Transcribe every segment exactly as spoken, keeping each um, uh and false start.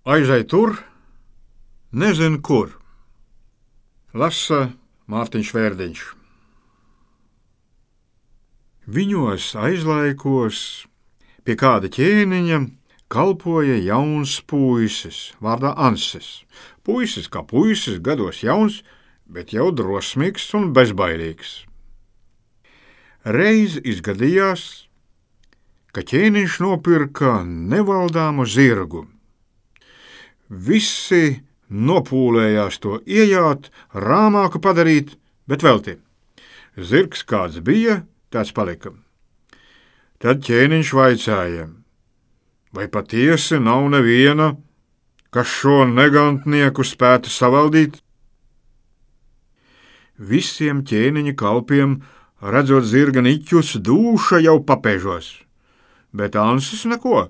Aizej tur, nezinu kur. Lasa Mārtiņš Vērdiņš. Viņos aizlaikos pie kāda ķēniņa kalpoja jauns puisis, vārdā Ansis. Puisis kā puisis, gados jauns, bet jau drosmīgs un bezbailīgs. Reiz izgadījās, ka ķēniņš nopirka nevaldāmu zirgu. Visi nopūlējās to iejāt, rāmāku padarīt, bet velti. Zirgs kāds bija, tāds palika. Tad ķēniņš vaicāja, vai patiesi nav neviena, kas šo negantnieku spētu savaldīt? Visiem ķēniņa kalpiem, redzot zirga niķus, dūša jau papēžos, bet Ansis neko.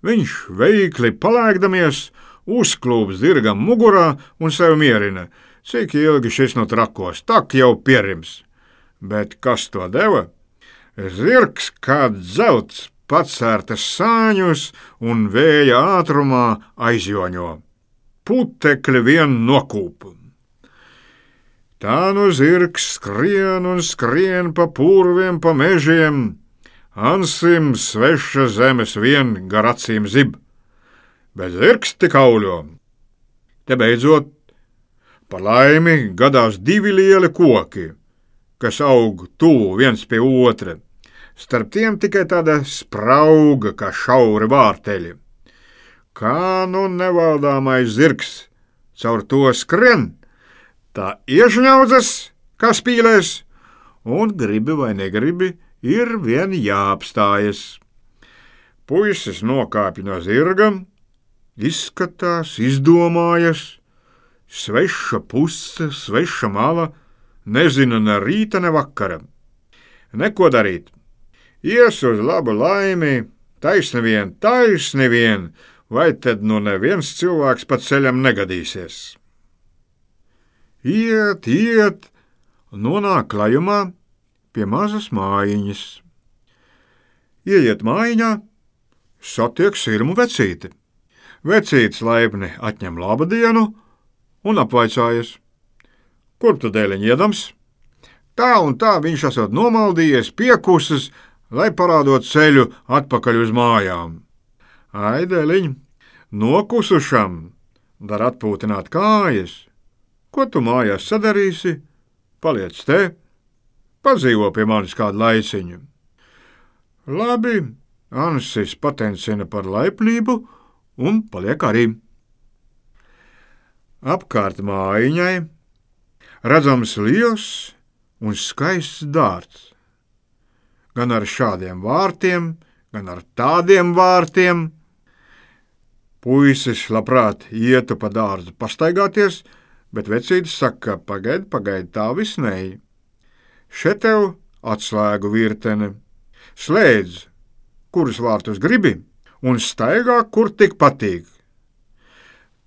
Viņš veikli palēkdamies, uzklūp zirgam mugurā un sev mierina, cik ilgi šis no trakos, tak jau pierims. Bet kas to deva? Zirgs kā dzelts pacērtas sāņus un vēja ātrumā aizjoņo. Putekļi vien nokūp. Tā nu zirgs skrien un skrien pa purviem, pa mežiem, Ansim sveša zemes vien gar acīm zib, bet zirgs tik auļo. Te beidzot, par laimi gadās divi lieli koki, kas aug tuvu viens pie otra, starp tiem tikai tāda sprauga kā šauri vārteļi. Kā nu nevaldāmais zirgs caur to skrien, tā iešņaudzas, kā spīlēs, un gribi vai negribi, ir vien jāapstājas. Puisis nokāpj no zirga, izskatās, izdomājas, sveša puse, sveša mala, nezina ne rīta, ne vakara. Neko darīt. Ies uz labu laimi, taisni vien, taisni vien, vai tad nu neviens cilvēks pa ceļam negadīsies. Iet, iet, nonāk klajumā pie mazas mājiņas. Ieiet mājiņā, satiek sirmu vecīti. Vecītis laipni atņem labadienu un apvaicājas. Kur tu dēliņ iedams? Tā un tā viņš esot nomaldījies, piekusis, lai parādot ceļu atpakaļ uz mājām. Ai, dēliņ, nokusušam, dar atpūtināt kājas. Ko tu mājās sadarīsi? Paliec te, padzīvo pie manis kādu laiciņu. Labi, Ansis patencina par laipnību un paliek arī. Apkārt mājiņai redzams liels un skaists dārts. Gan ar šādiem vārtiem, gan ar tādiem vārtiem. Puisis labprāt ietu pa dārzu pastaigāties, bet vecītis saka, pagaid, pagaid, tā visnēji. Še tev atslēgu virtene. Slēdz, kurus vārtus gribi, un staigā, kur tik patīk.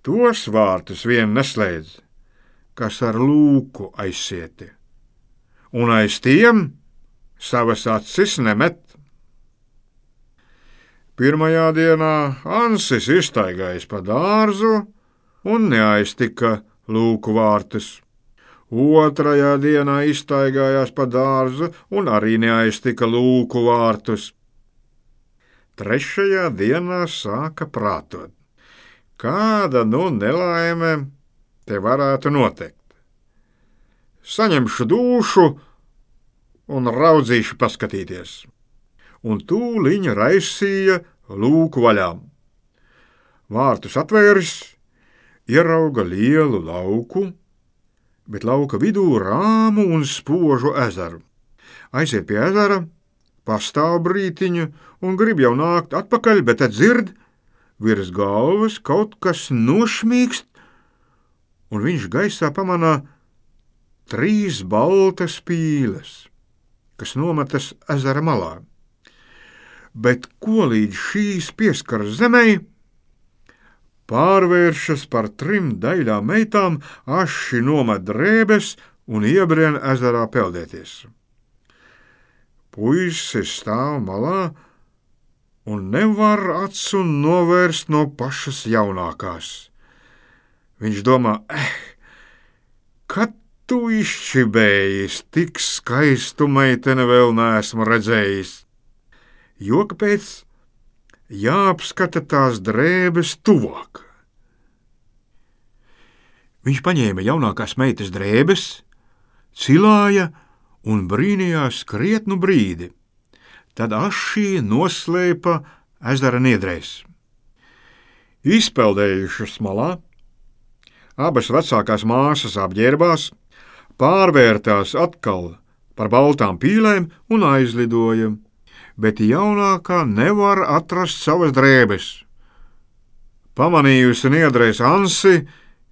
Tos vārtus vien neslēdz, kas ar lūku aizsieti, un aiz tiem savas acis nemet. Pirmajā dienā Ansis izstaigājis pa dārzu un neaiztika lūku vārtus. Otrajā dienā izstaigājās pa dārzu un arī neaiztika lūku vārtus. Trešajā dienā sāka prātot. Kāda nu nelaime te varētu noteikt? Saņemšu dūšu un raudzīšu paskatīties. Un tūliņ raisīja lūku vaļā. Vārtus atvēris, ierauga lielu lauku, bet lauka vidū rāmu un spožu ezeru. Aiziet pie ezera, pastāv brītiņu un grib jau nākt atpakaļ, bet tad dzird, virs galvas kaut kas nošmīkst, un viņš gaisā pamanā trīs baltas pīles, kas nometas ezera malā. Bet ko līdz šīs pieskaras zemei, pārvēršas par trim daļām meitām, aši nomet drēbes un iebrien ezerā peldēties. Puisis stāv malā un nevar acu novērst no pašas jaunākās. Viņš domā, eh, kad tu izšķibējis, tik skaistu meiteni vēl neesmu redzējis. Jo kāpēc jāapskata tās drēbes tuvāk. Viņš paņēma jaunākās meitas drēbes, cilāja un brīnījās krietnu brīdi. Tad ašī noslēpa ezera niedrēs. Izpeldējušas malā, abas vecākās māsas apģērbās, pārvērtās atkal par baltām pīlēm un aizlidoja, bet jaunākā nevar atrast savas drēbes. Pamanījusi niedrēs Ansi,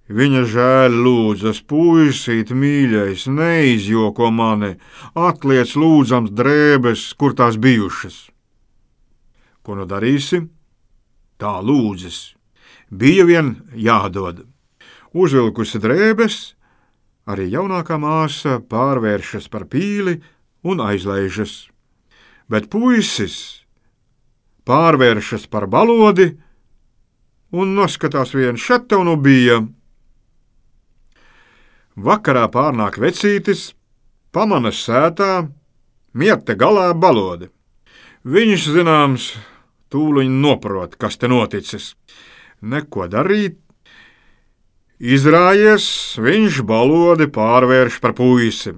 viņa žēl lūdzas, puisīt mīļais, neizjoko mani, atliec lūdzams drēbes, kur tās bijušas. Ko nu darīsi? Tā lūdzas. Bija vien jādod. Uzvilkusi drēbes, arī jaunākā māsa pārvēršas par pīli un aizlaižas. Bet puisis pārvēršas par balodi un noskatās vien, šat tev nu bija. Vakarā pārnāk vecītis, pamanas sētā, mierte galā balodi. Viņš, zināms, tūliņ noprot, kas te noticis. Neko darīt. Izrājies, viņš balodi pārvērš par puisi.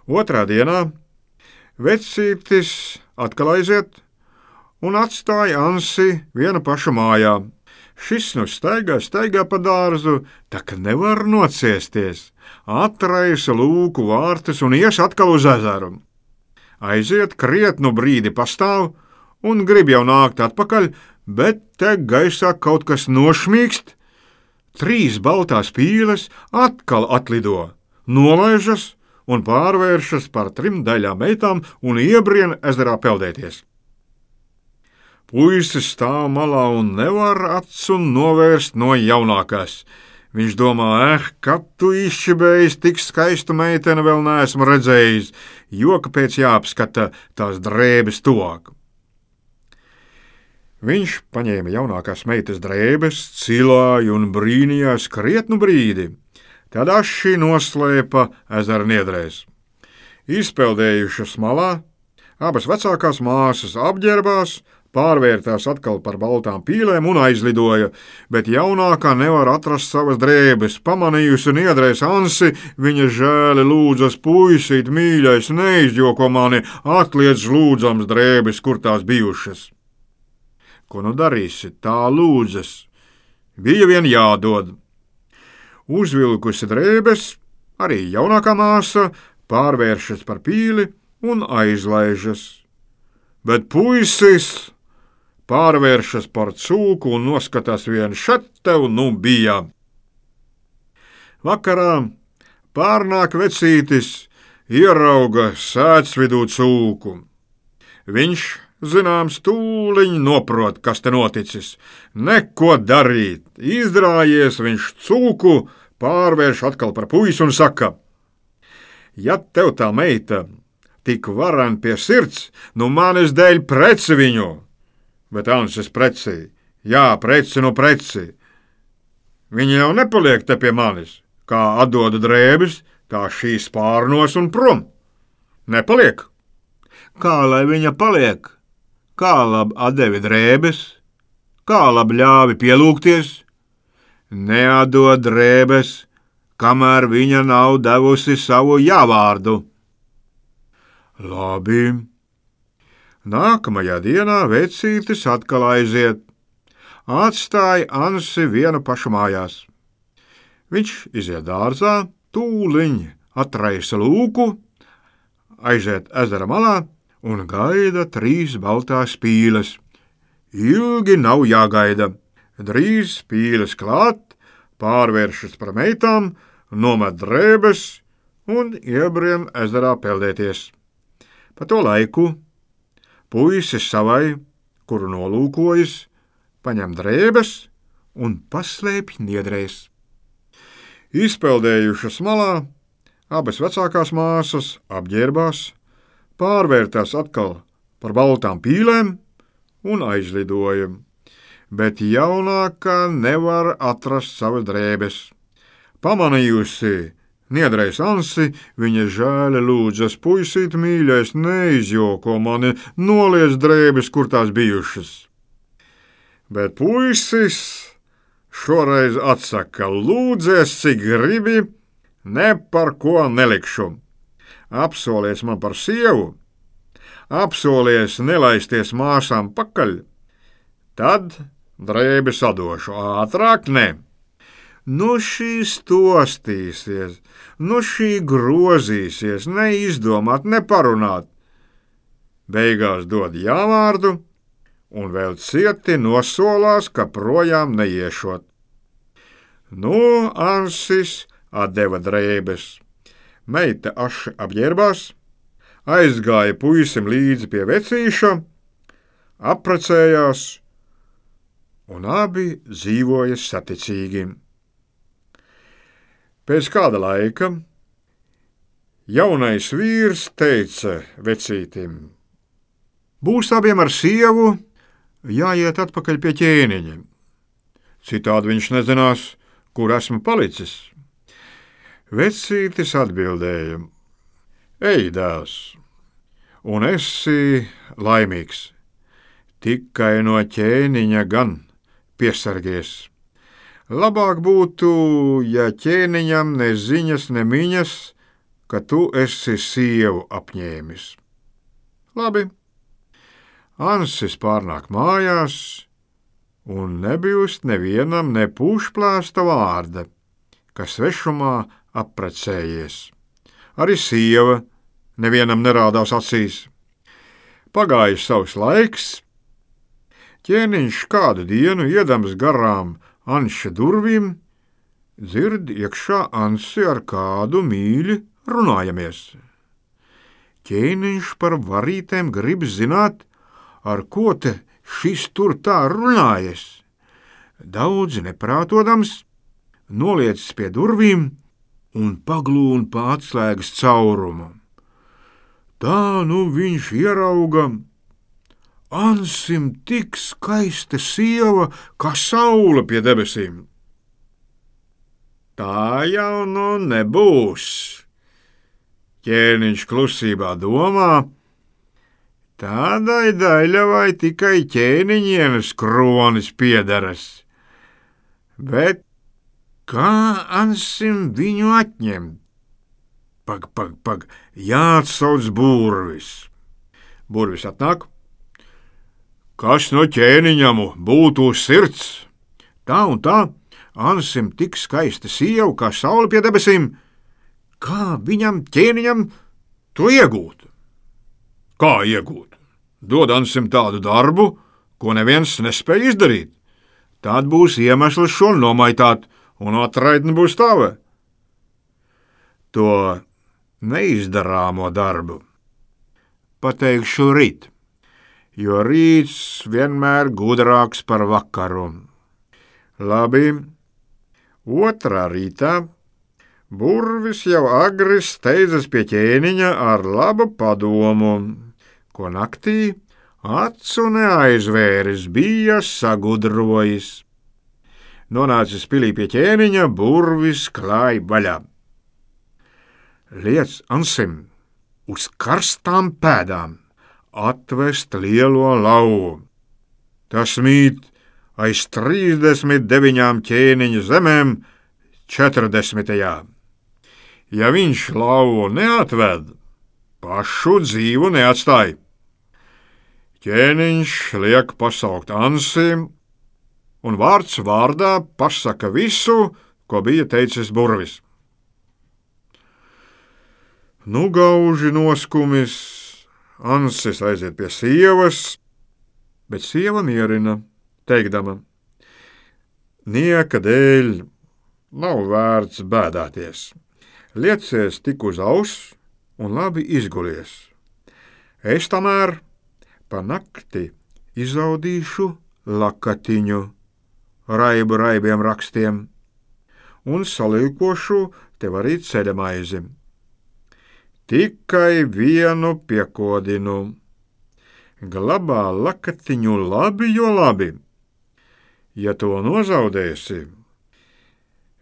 Otrā dienā vecītis atkal aiziet un atstāja Ansi vienu pašu mājā. Šis nu staigā, staigā pa dārzu, tā ka nevar nociesties. Atraisa lūku vārtus un ies atkal uz ezeru. Aiziet, krietnu brīdi pastāv un grib jau nākt atpakaļ, bet te gaisā kaut kas nošmīkst. Trīs baltās pīles atkal atlido, nolaižas un pārvēršas par trim daļām meitām un iebrien ezerā peldēties. Puisis stāv malā un nevar acu novērst no jaunākās. Viņš domā, eh, kad tu izšķibējis, tik skaistu meiteni vēl neesmu redzējis, jo kāpēc jāapskata tās drēbes tuvāk. Viņš paņēma jaunākās meitas drēbes, cilāja un brīnījās krietnu brīdi. Tad aši noslēpa ezera niedrēs. Izpeldējušas malā, abas vecākās māsas apģērbās, pārvērtās atkal par baltām pīlēm un aizlidoja, bet jaunākā nevar atrast savas drēbes. Pamanījusi niedrēs Ansi, viņa žēli lūdzas, puisīt mīļais, neizjoko mani, atliec lūdzams drēbes, kur tās bijušas. Ko nu darīsi? Tā lūdzas. Bija vien jādod. Uzvilkusi drēbes, arī jaunākā māsa pārvēršas par pīli un aizlaižas. Bet puisis pārvēršas par cūku un noskatās vien, šat tev nu bija. Vakarā pārnāk vecītis, ierauga sētsvidū cūku. Viņš, zināms, tūliņ noprot, kas te noticis. Neko darīt. Izdrājies, viņš cūku pārvērš atkal par puisi un saka, ja tev tā meita tik varan pie sirds, nu manis dēļ preci viņu. Bet Ansis preci, jā, preci nu preci. Viņa jau nepaliek te pie manis, kā atdoda drēbes, tā šīs pārnos un prom. Nepaliek. Kā lai viņa paliek? Kā lab atdevi drēbes? Kā lab ļāvi pielūgties? Neatdod drēbes, kamēr viņa nav devusi savu jāvārdu. Labi. Nākamajā dienā vecītis atkal aiziet. Atstāja Ansi vienu pašu mājās. Viņš iziet dārzā, tūliņ atraisa lūku, aiziet ezera malā un gaida trīs baltās pīles. Ilgi nav jāgaida. Drīz pīles klāt, pārvēršas par meitām, nomet drēbes un iebrien ezerā peldēties. Pa to laiku puisis savai, kuru nolūkojas, paņem drēbes un paslēpj niedrēs. Izpeldējušas malā, abas vecākās māsas apģērbās, pārvērtās atkal par baltām pīlēm un aizlidoja, bet jaunākā nevar atrast savas drēbes. Pamanījusi niedrais Ansi, viņa žēli lūdzas: puisīt mīļais, neizjoko mani, noliec drēbes, kur tās bijušas. Bet puisis šoreiz atsaka: lūdzies, cik gribi, ne par ko nelikšu. Apsolies man par sievu, apsolies nelaisties māsām pakaļ, tad drēbes atdošu, ātrāk ne. Nu šī stostīsies, nu šī grozīsies, neizdomāt, neparunāt. Beigās dod jāvārdu un vēl cieti nosolās, ka projām neiešot. Nu, Ansis atdeva drēbes. Meita aši apģērbās, aizgāja puisim līdzi pie vecīša, apprecējās un abi dzīvoja saticīgi. Pēc kāda laika jaunais vīrs teica vecītim: būs abiem ar sievu jāiet atpakaļ pie ķēniņa. Citādi viņš nezinās, kur esmu palicis. Vecītis atbildēja: ej, dēls, un esi laimīgs, tikai no ķēniņa gan piesargies. Labāk būtu, ja ķēniņam ne ziņas, ne miņas, ka tu esi sievu apņēmis. Labi. Ansis pārnāk mājās, un nebijust nevienam ne pūšplēsta vārda, ka svešumā apprecējies. Arī sieva nevienam nerādās acīs. Pagājis savs laiks, ķēniņš kādu dienu iedams garām Anša durvīm, dzird iekšā Ansi ar kādu mīļi runājamies. Ķēniņš par varītēm grib zināt, ar ko te šis tur tā runājas. Daudz neprātodams, noliecis pie durvīm un paglūn pa atslēgas caurumu. Tā nu viņš ierauga: Ansim tik skaista sieva, kā saule pie debesīm. Tā jau nu nebūs, ķēniņš klusībā domā, tādai daļavai tikai ķēniņienes kronis piederas. Bet kā Ansim viņu atņemt? Pag, pag, pag, jāatsauc burvis. Burvis atnāk. Kas no ķēniņam būtu uz sirds? Tā un tā, Ansim tik skaista sieva, kā saule pie debesīm. Kā viņam, ķēniņam, to iegūt? Kā iegūt? Dod Ansim tādu darbu, ko neviens nespēj izdarīt. Tad būs iemesls šo nomaitāt, un atraitne būs tava. To neizdarāmo darbu pateikšu rīt, jo rīts vienmēr gudrāks par vakaru. Labi, otrā rītā burvis jau agri steidzas pie ķēniņa ar labu padomu, ko naktī acu neaizvēris, bija sagudrojis. Nonācis pilī pie ķēniņa, burvis klāj vaļā. Liec Ansim uz karstām pēdām atvest lielo lauvu. Tas mīt aiz trīsdesmit deviņām ķēniņa zemēm četrdesmitajā. Ja viņš lauvu neatved, pašu dzīvu neatstāj. Ķēniņš liek pasaukt Ansi, un vārds vārdā pasaka visu, ko bija teicis burvis. Nu gauži noskumis, Ansis aiziet pie sievas, bet sieva mierina, teikdama: nieka dēļ nav vērts bēdāties. Liecies tik uz auss un labi izgulies. Es tamēr pa nakti izaudīšu lakatiņu raibu raibiem rakstiem un salīkošu tev arī ceļamaizi. Tikai vienu piekodinu. glabā lakatiņu labi, jo labi. Ja to nozaudēsi,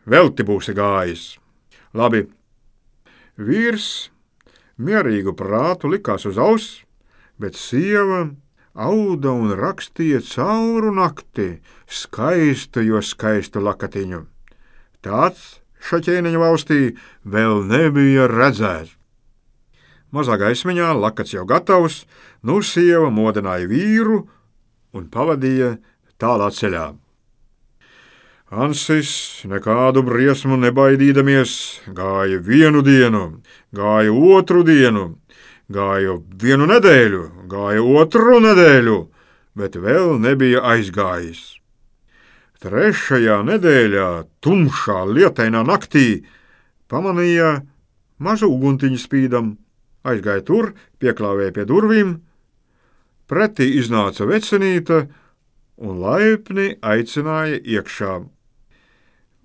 velti būsi gājis. Labi, vīrs mierīgu prātu likās uz auss, bet sieva auda un rakstīja cauru nakti skaistu, jo skaistu lakatiņu. Tāds šo ķēniņa valstī vēl nebija redzēts. Mazā gaismiņā lakats jau gatavs, nu sieva modināja vīru un pavadīja tālā ceļā. Ansis, nekādu briesmu nebaidīdamies, gāja vienu dienu, gāja otru dienu, gāja vienu nedēļu, gāja otru nedēļu, bet vēl nebija aizgājis. Trešajā nedēļā, tumšā lietainā naktī, pamanīja mazu uguntiņu spīdam, aizgāja tur, pieklāvēja pie durvīm, pretī iznāca vecenīte un laipni aicināja iekšā.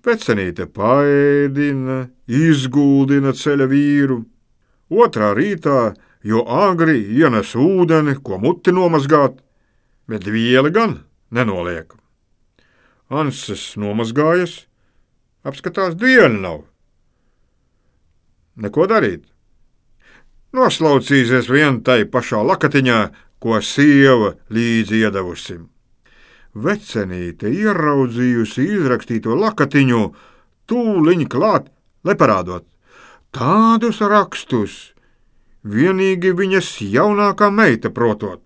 Vecenīte paēdina, izguldina ceļa vīru, otrā rītā, jo agri ienes ūdeni, ko muti nomazgāt, bet vieli gan nenoliek. Ansis nomazgājas, apskatās, dienu nav. Neko darīt. Noslaucīsies vien tai pašā lakatiņā, ko sieva līdzi iedavusi. Vecenīte ieraudzījusi izrakstīto lakatiņu, tūliņ klāt, lai parādot. Tādus rakstus vienīgi viņas jaunākā meita protot,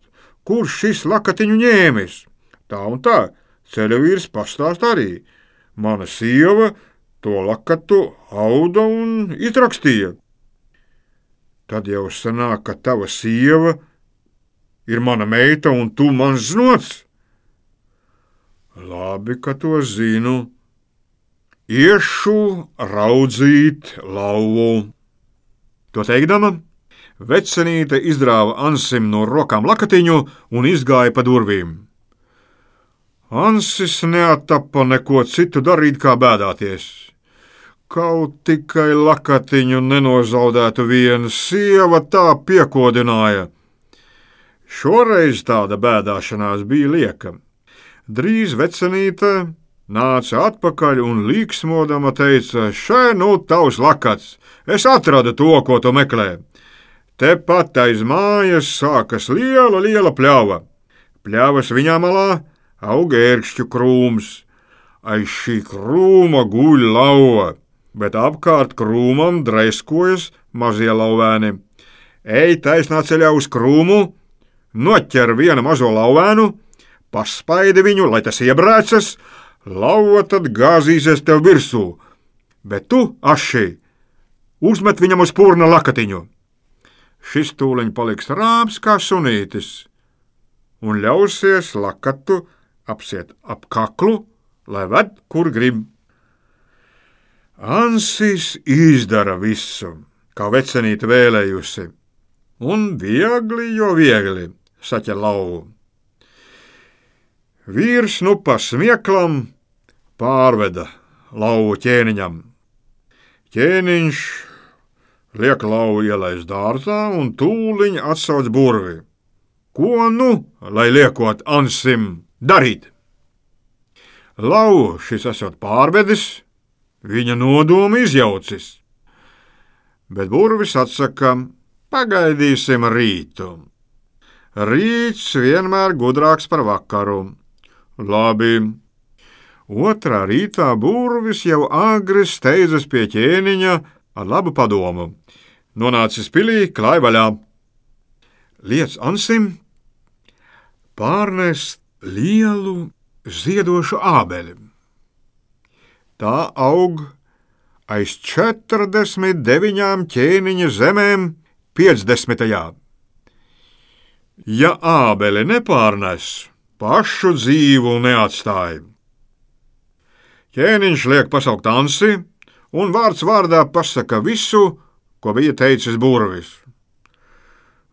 kurš šis lakatiņu ņēmis. Tā un tā, ceļa vīrs pastāst arī. Mana sieva to lakatu auda un izrakstīja. Tad jau sanāk, ka tava sieva ir mana meita un tu mans znots. Labi, ka to zinu. Iešu raudzīt lauvu. To teikdama, vecenīte izdrāva Ansim no rokām lakatiņu un izgāja pa durvīm. Ansis neattapa neko citu darīt, kā bēdāties. Kaut tikai lakatiņu nenozaudētu viena, sieva tā piekodināja. Šoreiz tāda bēdāšanās bija lieka. Drīz vecenīte nāca atpakaļ un līksmodama teica: šai nu tavs lakats, es atradu to, ko tu meklē. Tepat aiz mājas sākas liela, liela pļava. Pļavas viņā malā aug ērkšķu krūms. Aiz šī krūma guļ lauva, bet apkārt krūmam dreiskojas mazie lauvēni. Ej taisnā ceļā uz krūmu, noķer vienu mazo lauvēnu, paspaidi viņu, lai tas iebrēcas, lauva tad gāzīsies tev virsū, bet tu, aši, uzmet viņam uz purna lakatiņu. Šis tūliņ paliks rāms kā sunītis un ļausies lakatu apsiet ap kaklu, lai ved, kur grib. Ansis izdara visu, kā vecenīte vēlējusi, un viegli, jo viegli saķer lauvu. Vīrs nu pa smieklam pārveda lauvu ķēniņam. Ķēniņš liek lauvu ielaist dārzā un tūliņ atsauc burvi. Ko nu, lai liekot Ansim darīt? Lauvu šis esot pārvedis, viņa nodomu izjaucis, bet burvis atsaka: pagaidīsim rītu. Rīts vienmēr gudrāks par vakaru. Labi. Otrā rītā burvis jau agri steidzas pie ķēniņa ar labu padomu. Nonācis pilī, klāj vaļā. Liec Ansim pārnest lielu ziedošu ābeli. Tā aug aiz četrdesmit deviņām ķēniņa zemēm piecdesmitajā. Ja ābeli nepārnes, pašu dzīvu neatstāja. Ķēniņš liek pasaukt Ansi un vārds vārdā pasaka visu, ko bija teicis burvis.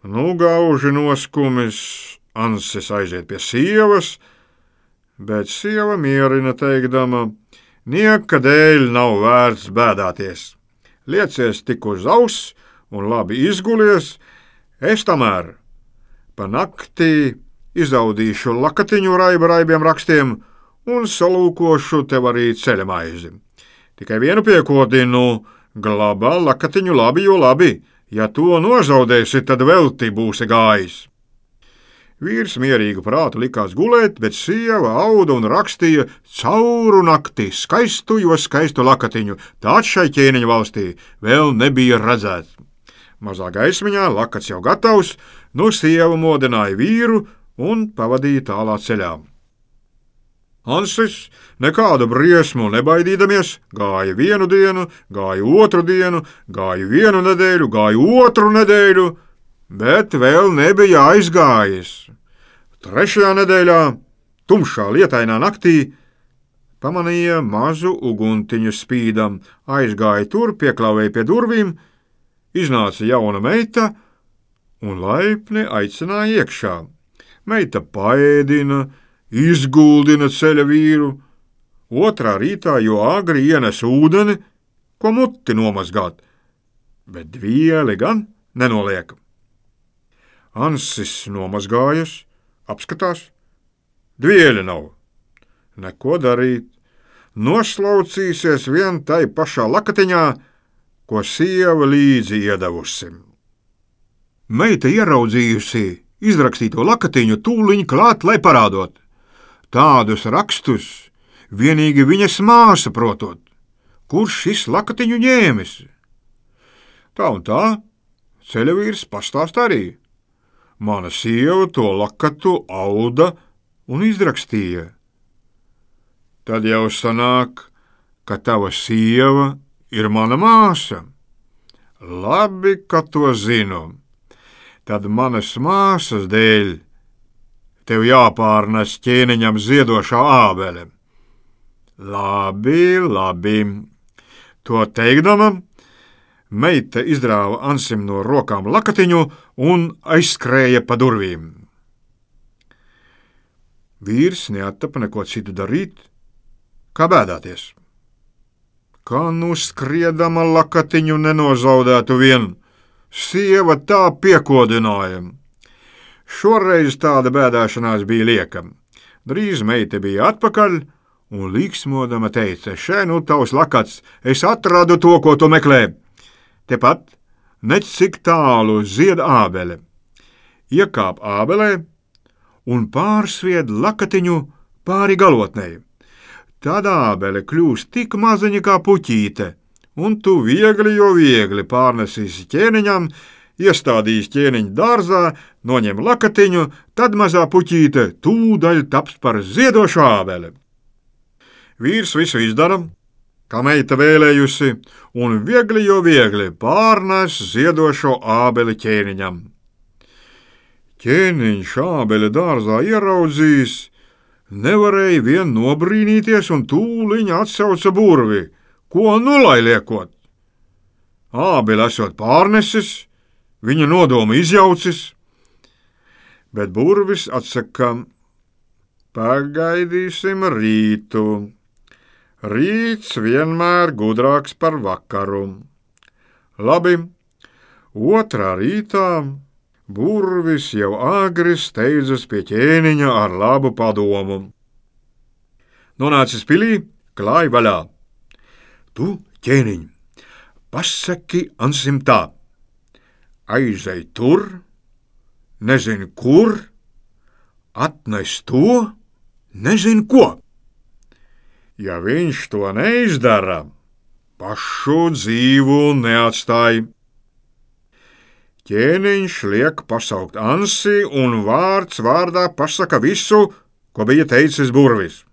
Nu, gauži noskumis, Ansis aiziet pie sievas, bet sieva mierina teikdama: nieka dēļ nav vērts bēdāties. Liecies tik uz auss un labi izgulies, es tamēr Pa naktī izaudīšu lakatiņu raiba raibiem rakstiem un salūkošu tev arī ceļa maizi. Tikai vienu piekodinu, glabā lakatiņu labi, jo labi, ja to nozaudēsi, tad velti būsi gājis. Vīrs mierīgu prātu likās gulēt, bet sieva auda un rakstīja cauru nakti skaistu, jo skaistu lakatiņu. Tāds šai ķēniņa valstī vēl nebija redzēts. Mazā gaismiņā lakats jau gatavs, no sieva modināja vīru un pavadīja tālā ceļā. Hansis nekādu briesmu nebaidīdamies, gāja vienu dienu, gāja otru dienu, gāja vienu nedēļu, gāja otru nedēļu, bet vēl nebija aizgājis. Trešajā nedēļā, tumšā lietainā naktī, pamanīja mazu uguntiņu spīdam, aizgāja tur, pieklāvēja pie durvīm, iznāca jauna meita un laipni aicināja iekšā. Meita paēdina, izguldina ceļa vīru, otrā rītā jo agri ienes ūdeni, ko muti nomazgāt, bet dvieli gan nenoliek. Ansis nomazgājas, apskatās, dvieļa nav. Neko darīt, noslaucīsies vien tai pašā lakatiņā, ko sieva līdzi iedavusi. Meita ieraudzījusi izrakstīto lakatiņu tūliņ klāt, lai parādot. Tādus rakstus vienīgi viņas māsa protot, kurš šis lakatiņu ņēmis. Tā un tā ceļavīrs pastāst arī. Mana sieva to lakatu auda un izrakstīja. Tad jau sanāk, ka tava sieva ir mana māsa. Labi, ka to zinu. Tad manas māsas dēļ tev jāpārnes ķēniņam ziedošā ābele. Labi, labi. To teikdama, meita izdrāva Ansim no rokām lakatiņu un aizskrēja pa durvīm. Vīrs neattapa neko citu darīt, kā bēdāties. Kā nu skriedama lakatiņu nenozaudētu vien, sieva tā piekodināja. Šoreiz tāda bēdāšanās bija lieka. Drīz meita bija atpakaļ un līksmodama teica: šai nu tavs lakats, es atradu to, ko tu meklē. Tepat, nec cik tālu zied ābele. Iekāp ābelē un pārsvied lakatiņu pāri galotnei. Tad ābele kļūs tik maziņa kā puķīte, un tu viegli jo viegli pārnesīsi ķēniņam, iestādīs ķēniņu dārzā, noņem lakatiņu, tad mazā puķīte tūdaļ taps par ziedošu ābeli. Vīrs visu izdara, kā meita vēlējusi, un viegli jo viegli pārnes ziedošo ābeli ķēniņam. Ķēniņš ābeli dārzā ieraudzījis, nevarēja vien nobrīnīties un tūliņ atsauca burvi, ko nu lai liekot. Ābeli esot pārnesis, viņa nodomu izjaucis, bet burvis atsaka: pagaidīsim rītu. Rīts vienmēr gudrāks par vakaru. Labi, otrā rītā burvis jau agri steidzas pie ķēniņa ar labu padomu. Nonācis pilī, klāj vaļā. Tu, ķēniņ, pasaki Ansim tā: aizej tur, nezinu kur, atnes to, nezinu ko. Ja viņš to neizdara, pašu dzīvu neatstāj. Ķēniņš liek pasaukt Ansi un vārds vārdā pasaka visu, ko bija teicis burvis.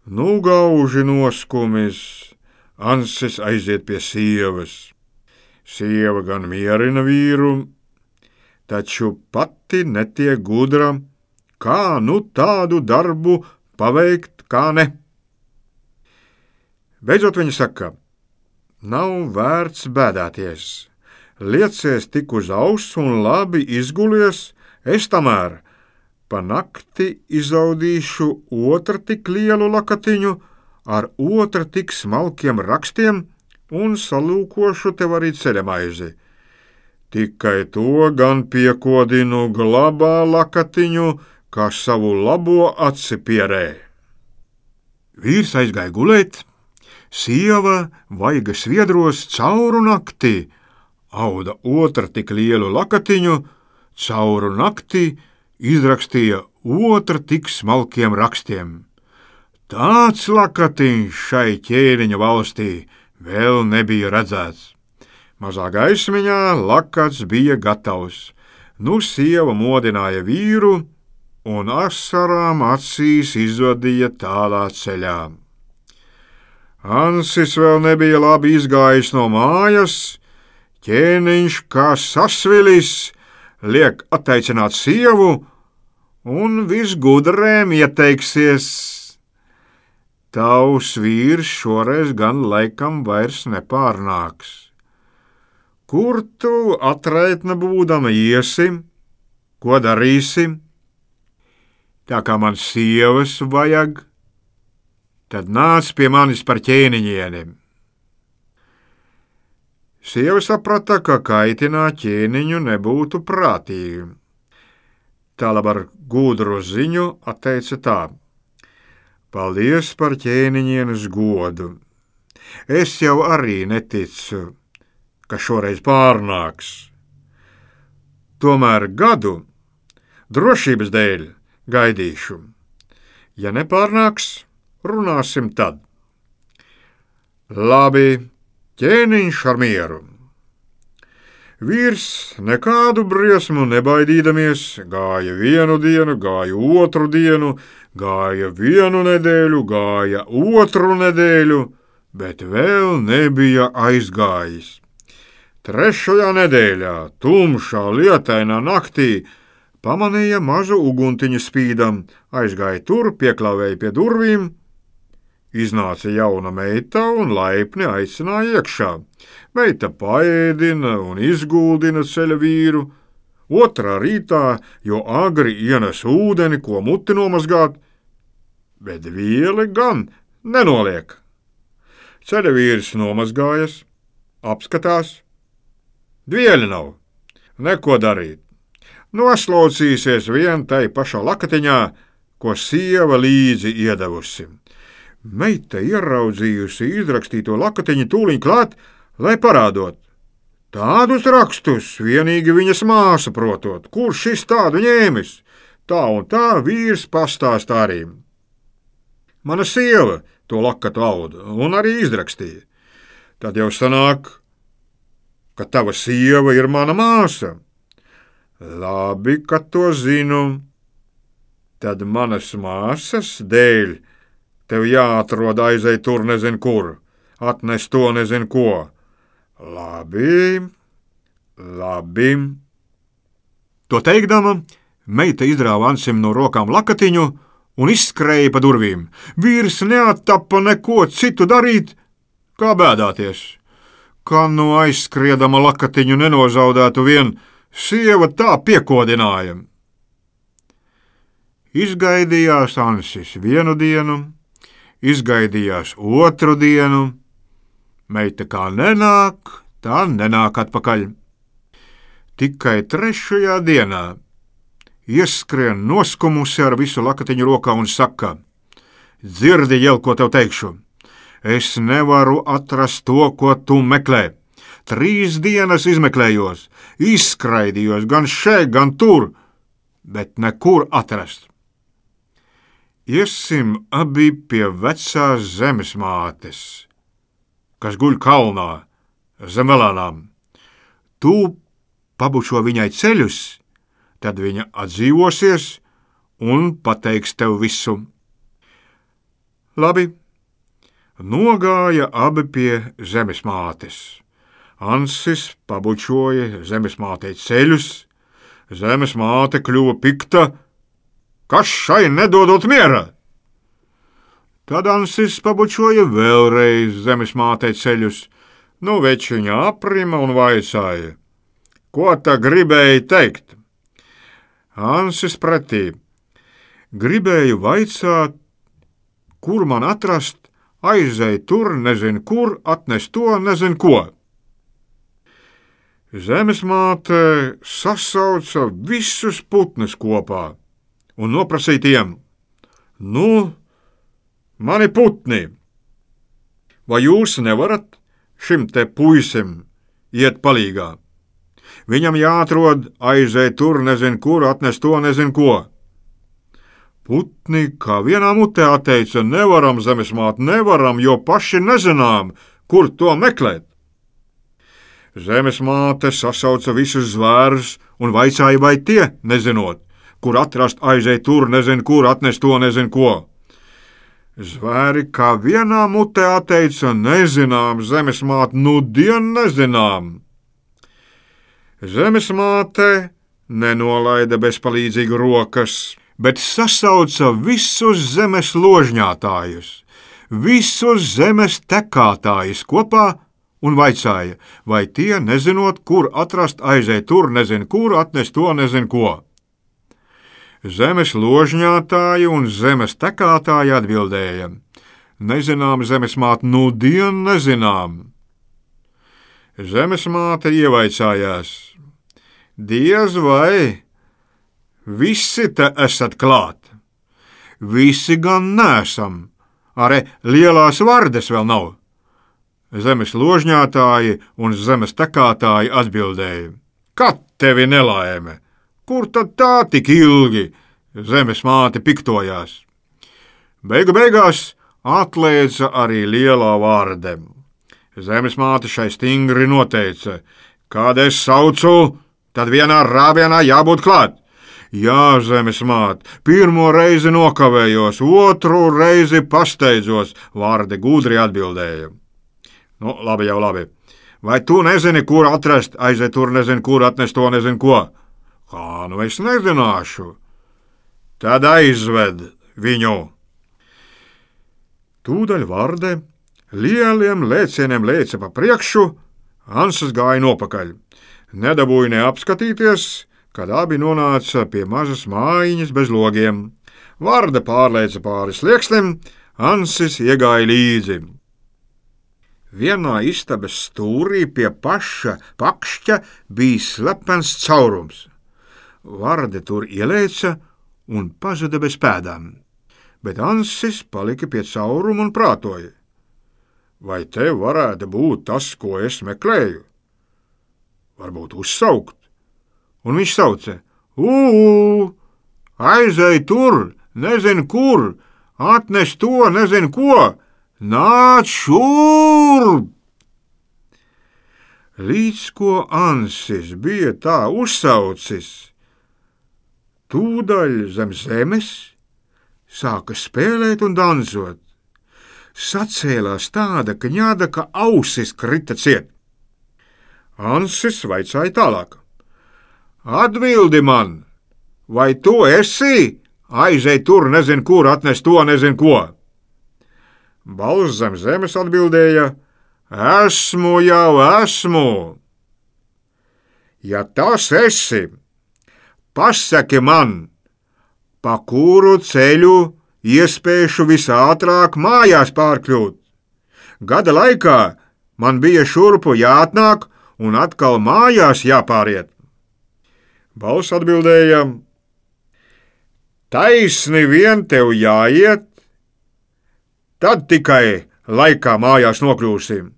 Nu gauži noskumis, Ansis aiziet pie sievas. Sieva gan mierina vīru, taču pati netiek gudra, kā nu tādu darbu paveikt, kā ne. Beidzot viņa saka: nav vērts bēdāties, liecies tik uz auss un labi izgulies, es tamēr pa nakti izaudīšu otru tik lielu lakatiņu ar otru tik smalkiem rakstiem un salūkošu tev arī ceļamaizi. Tikai to gan piekodinu glabā lakatiņu, kā savu labo aci pierē. Vīrs aizgāja gulēt, sieva vaigas viedros cauru nakti, auda otra tik lielu lakatiņu, cauru nakti izrakstīja otra tik smalkiem rakstiem. Tāds lakatiņš šai ķēniņa valstī vēl nebija redzēts. Mazā gaismiņā lakats bija gatavs. Nu sieva modināja vīru un asarām acīs izvadīja tālā ceļā. Ansis vēl nebija labi izgājis no mājas, ķēniņš kā sasvilis liek atteicināt sievu un visgudrēm ieteiksies. Tavs vīrs šoreiz gan laikam vairs nepārnāks. Kur tu atraitna būdama iesi? Ko darīsi? Tā kā man sievas vajag, tad nāc pie manis par ķēniņieni. Sieva saprata, ka kaitināt ķēniņu nebūtu prātīgi. Tālāk ar gudru ziņu atteica tā: paldies par ķēniņienes godu. Es jau arī neticu, ka šoreiz pārnāks. Tomēr gadu drošības dēļ gaidīšu. Ja nepārnāks, runāsim tad. Labi, ķēniņš ar mieru. Vīrs nekādu briesmu nebaidīdamies gāja vienu dienu, gāja otru dienu, gāja vienu nedēļu, gāja otru nedēļu, bet vēl nebija aizgājis. Trešajā nedēļā, tumšā, lietainā naktī, pamanīja mazu uguntiņu spīdam, aizgāja tur, pieklāvēja pie durvīm, iznāca jauna meita un laipni aicināja iekšā. Meita paēdina un izguldina ceļa vīru, otrā rītā, jo agri ienes ūdeni, ko muti nomazgāt, bet vieli gan nenoliek. Ceļa vīrs nomazgājas, apskatās, dvieļi nav, neko darīt. Noslaucīsies vien tai pašā lakatiņā, ko sieva līdzi iedevusi. Meita ieraudzījusi izrakstīto lakatiņu tūliņ klāt, lai parādot. Tādus rakstus vienīgi viņas māsa protot, kurš šis tādu ņēmis. Tā un tā vīrs pastāstā arī. Mana sieva to lakatu auda un arī izrakstīja. Tad jau sanāk, ka tava sieva ir mana māsa. Labi, ka to zinu. Tad manas māsas dēļ tev jāatrod aizej tur nezin kur, atnes to nezin ko. Labi, labi. To teikdama, meita izrāva Ansim no rokām lakatiņu un izskrēja pa durvīm. Vīrs neattapa neko citu darīt, kā bēdāties. Kā nu aizskriedama lakatiņu nenozaudētu vien, sieva tā piekodināja. Izgaidījās Ansis vienu dienu, izgaidījās otru dienu, meita kā nenāk, tā nenāk atpakaļ. Tikai trešajā dienā ieskrien noskumusi ar visu lakatiņu rokā un saka: dzirdi, Jel, ko tev teikšu. Es nevaru atrast to, ko tu meklē. Trīs dienas izmeklējos, izskraidījos gan šeit, gan tur, bet nekur atrast. Iesim abi pie vecās zemes mātes, kas guļ kalnā zem velānām. Tu pabučo viņai ceļus, tad viņa atdzīvosies un pateiks tev visu. Labi. Nogāja abi pie zemes mātes. Ansis pabučoja zemes mātei ceļus, zemes māte kļuva pikta, kas šai nedodot miera. Tad Ansis pabučoja vēlreiz zemes mātei ceļus, nu večiņa aprima un vaicāja: ko tā gribēja teikt? Ansis pretī: gribēju vaicāt, kur man atrast, aizej tur, nezin kur, atnes to, nezin ko. Zemes māte sasauca visus putnus kopā un noprasīja tiem: Nu, mani putni, vai jūs nevarat šim te puisim iet palīgā? Viņam jāatrod, aiziet tur, nezin kur, atnest to, nezin ko. Putni kā vienā mutē atteica: Nevaram, zemes māte, nevaram, jo paši nezinām, kur to meklēt. Zemes māte sasauca visus zvērus un vaicāja, vai tie, nezinot, kur atrast, aiziet tur, nezin kur, atnest to, nezin ko. Zvēri kā vienā mutē atteica: Nezinām, zemes māte, nu dien nezinām. Zemes māte nenolaida bezpalīdzīgi rokas, bet sasauca visus zemes ložņātājus, visus zemes tekātājus kopā un vaicāja, vai tie, nezinot, kur atrast, aiziet tur, nezin kur, atnest to, nezin ko. Zemes ložņātāji un zemes tekātāji atbildēja: Nezinām, zemes māte, nu dien nezinām. Zemes māte ievaicājās: Diez vai visi te esat klāt? Visi gan nesam, arī lielās vardes vēl nav. Zemes ložņātāji un zemes tekātāji atbildēja: Kad tevi nelaime? Kur tad tā tik ilgi? Zemes māte piktojās. Beigu beigās atlēca arī lielā vārde. Zemes māte šai stingri noteica: Kad es saucu, tad vienā rāvienā jābūt klāt. Jā, zemes māte, pirmo reizi nokavējos, otru reizi pasteidzos, vārde gudri atbildēja. Nu, labi jau labi. Vai tu nezini, kur atrast, aiziet tur, nezin kur, atnest to, nezin ko? Kā nu es nezināšu? Tad aizved viņu. Tūdaļ vārde lieliem lēcieniem lēca pa priekšu, Ansis gāja nopakaļ. Nedabūja neapskatīties, kad abi nonāca pie mazas mājiņas bez logiem. Vārde pārlēca pāri slieksnim, Ansis iegāja līdzi. Vienā istabas stūrī pie paša pakšķa bija slepens caurums. Vārde tur ielēca un pazuda bez pēdām, bet Ansis palika pie cauruma un prātoja. Vai te varētu būt tas, ko es meklēju? Varbūt uzsaukt. Un viņš sauca: Ū, aizej tur, nezin kur, atnes to, nezin ko, nāc šurp! Līdz ko Ansis bija tā uzsaucis, tūdaļ zem zemes sāka spēlēt un dansot. Sacēlās tāda kņāda, ka ausis krita ciet. Ansis vaicāja tālāk: Atbildi man, vai tu esi? Aizej tur, nezin kur, atnes to, nezin ko. Balss zem zemes atbildēja: Esmu jau esmu. Ja tas esi, pasaki man, pa kuru ceļu iespēšu visātrāk mājās pārkļūt. Gada laikā man bija šurpu jāatnāk un atkal mājās jāpāriet. Balss atbildēja: Taisni vien tev jāiet, tad tikai laikā mājās nokļūsim.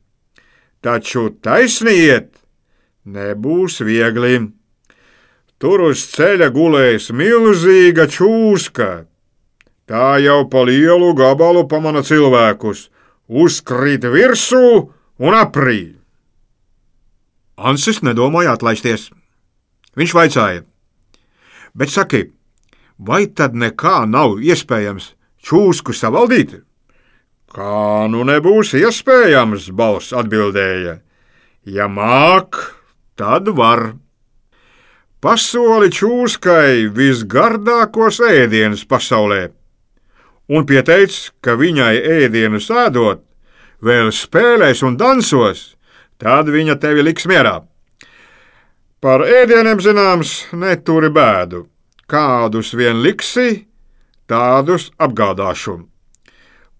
Taču taisni iet nebūs viegli. Tur uz ceļa gulēs milzīga čūska. Tā jau pa lielu gabalu pamana cilvēkus, uzkrīt virsū un aprī. Ansis nedomāja atlaisties. Viņš vaicāja: Bet saki, vai tad nekā nav iespējams čūsku savaldīt? Kā nu nebūs iespējams, balss atbildēja. Ja māk, tad var. Pasoli čūskai visgardākos ēdienus pasaulē un pieteic, ka viņai ēdienu sēdot, vēl spēlēs un dansos, tad viņa tevi liks mierā. Par ēdieniem zināms, neturi bēdu. Kādus vien liksi, tādus apgādāšu.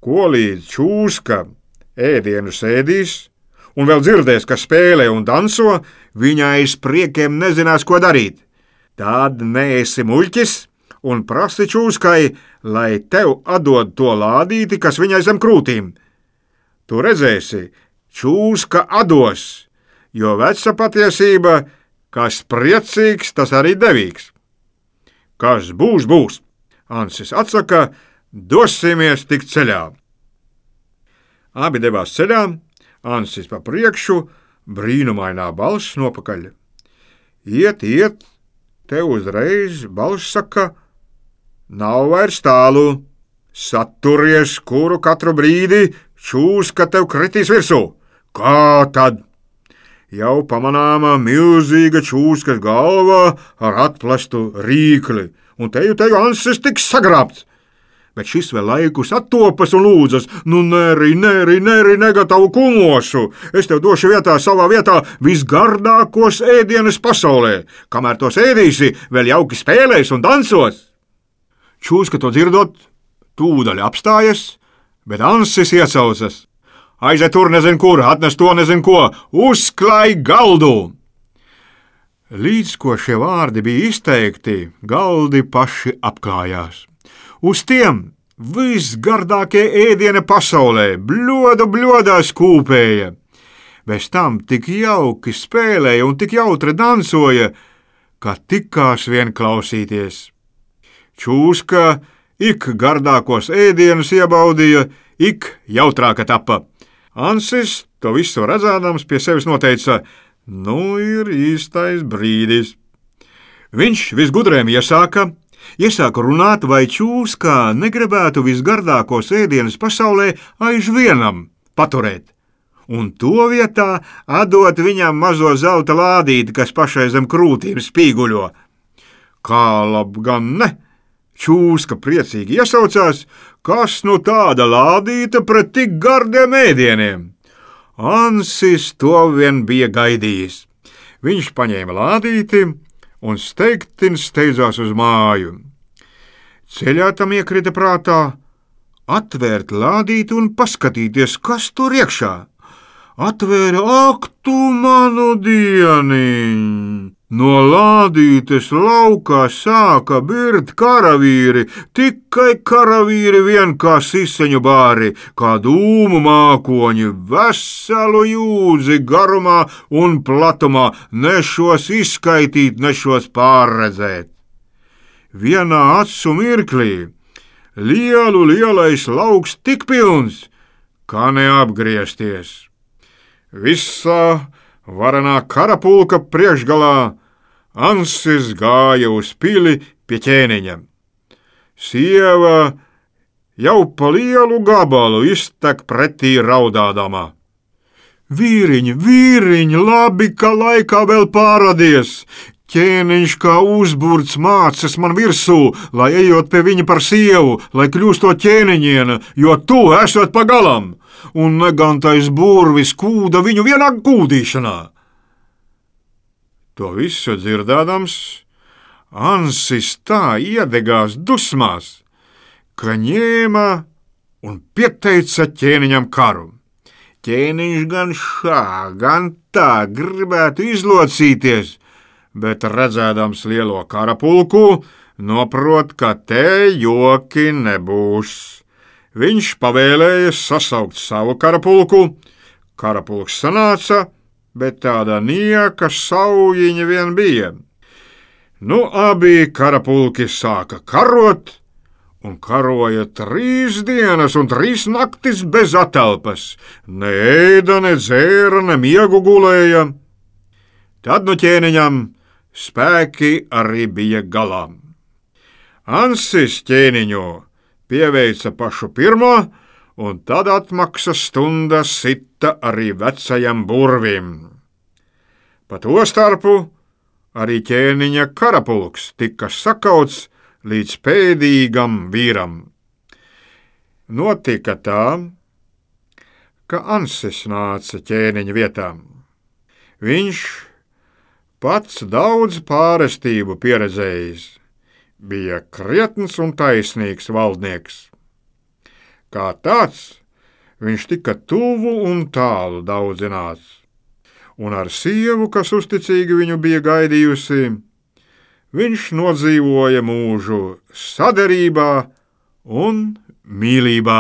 Ko līdz čūska ēdienu sēdīs un vēl dzirdēs, ka spēlē un danso, viņa aiz priekiem nezinās, ko darīt. Tad neesi muļķis un prasi Čūskai, lai tev atdod to lādīti, kas viņai zem krūtīm. Tu redzēsi, Čūska atdos, jo veca patiesība, kas priecīgs, tas arī devīgs. Kas būs, būs, Ansis atsaka, dosimies tik ceļā. Abi devās ceļā, Ansis pa priekšu, brīnumainā balss nopakaļ. Iet, iet, te uzreiz balss saka, nav vairs tālu, saturies, kuru katru brīdi Čūska tev kritīs virsū. Kā tad? Jau pamanāma milzīga Čūskas galva ar atplastu rīkli, un teju teju Ansis tiks sagrābts. Bet šis vēl laikus attopas un lūdzas, nu neri, neri, neri, negatavu kumosu, es tev došu vietā savā vietā visgardākos ēdienas pasaulē, kamēr tos ēdīsi, vēl jauki spēlēs un dansos. Čūska to dzirdot, tūdaļ apstājas, bet Ansis iecaucas. Aiziet tur nezin kur, atnes to nezin ko, uzklāj galdu! Līdz ko šie vārdi bija izteikti, galdi paši apklājās. Uz tiem visgardākie ēdieni pasaulē, bļodu bļodā skūpēja. Bez tam tik jauki spēlēja un tik jautri dansoja, ka tikās vien klausīties. Čūska ik gardākos ēdienus iebaudīja, ik jautrāka tapa. Ansis, to visu redzādams, pie sevis noteica, nu ir īstais brīdis. Viņš visgudrēm iesāka, iesāka runāt, vai Čūskā negribētu visgardākos ēdienus pasaulē aizvienam paturēt, un to vietā atdot viņam mazo zelta lādīti, kas pašai zem krūtīm spīguļo. Kā lab gan ne? Čūska priecīgi iesaucās, kas nu tāda lādīta pret tik gardiem ēdieniem. Ansis to vien bija gaidījis. Viņš paņēma lādīti un steigtin steidzās uz māju. Ceļā tam iekrita prātā atvērt lādīti un paskatīties, kas tur iekšā. Atvēra, ak tu manu dieniņ! No lādītes laukā sāka birt karavīri, tikai karavīri vien kā siseņu bāri, kā dūmu mākoņi, veselu jūdzi garumā un platumā, nešos izskaitīt, nešos pārredzēt. Vienā acu mirklī lielu lielais lauks tik pilns, kā neapgriezties. Visā varenā karapulka priekšgalā Ansis gāja uz pili pie ķēniņa. Sieva jau pa lielu gabalu iztek pretī raudādama. Vīriņ, vīriņ, labi, ka laikā vēl pāradies! Ķēniņš kā uzburts mācas man virsū, lai ejot pie viņa par sievu, lai kļūstot ķēniņiena, jo tu esot pagalam! Un negantais burvis kūda viņu vienā kūdīšanā. To visu dzirdādams, Ansis tā iedegās dusmās, ka ņēma un pieteica ķēniņam karu. Ķēniņš gan šā, gan tā gribētu izlocīties, bet redzēdams lielo karapulku, noprot, ka te joki nebūs. Viņš pavēlēja sasaukt savu karapulku, karapulks sanāca, bet tāda nieka saujiņa vien bija. Nu, abi karapulki sāka karot, un karoja trīs dienas un trīs naktis bez atelpas, ne ēda, ne dzēra, ne miegu gulēja. Tad nu ķēniņam spēki arī bija galā. Ansis ķēniņu pieveica pašu pirmo, un tad atmaksas stunda sita arī vecajam burvim. Pa to starpu arī ķēniņa karapulks tika sakauts līdz pēdīgam vīram. Notika tā, ka Ansis nāca ķēniņa vietām. Viņš pats daudz pārestību pieredzējis, bija krietns un taisnīgs valdnieks. Kā tāds, viņš tika tuvu un tālu daudzinās, un ar sievu, kas uzticīgi viņu bija gaidījusi, viņš nodzīvoja mūžu saderībā un mīlībā.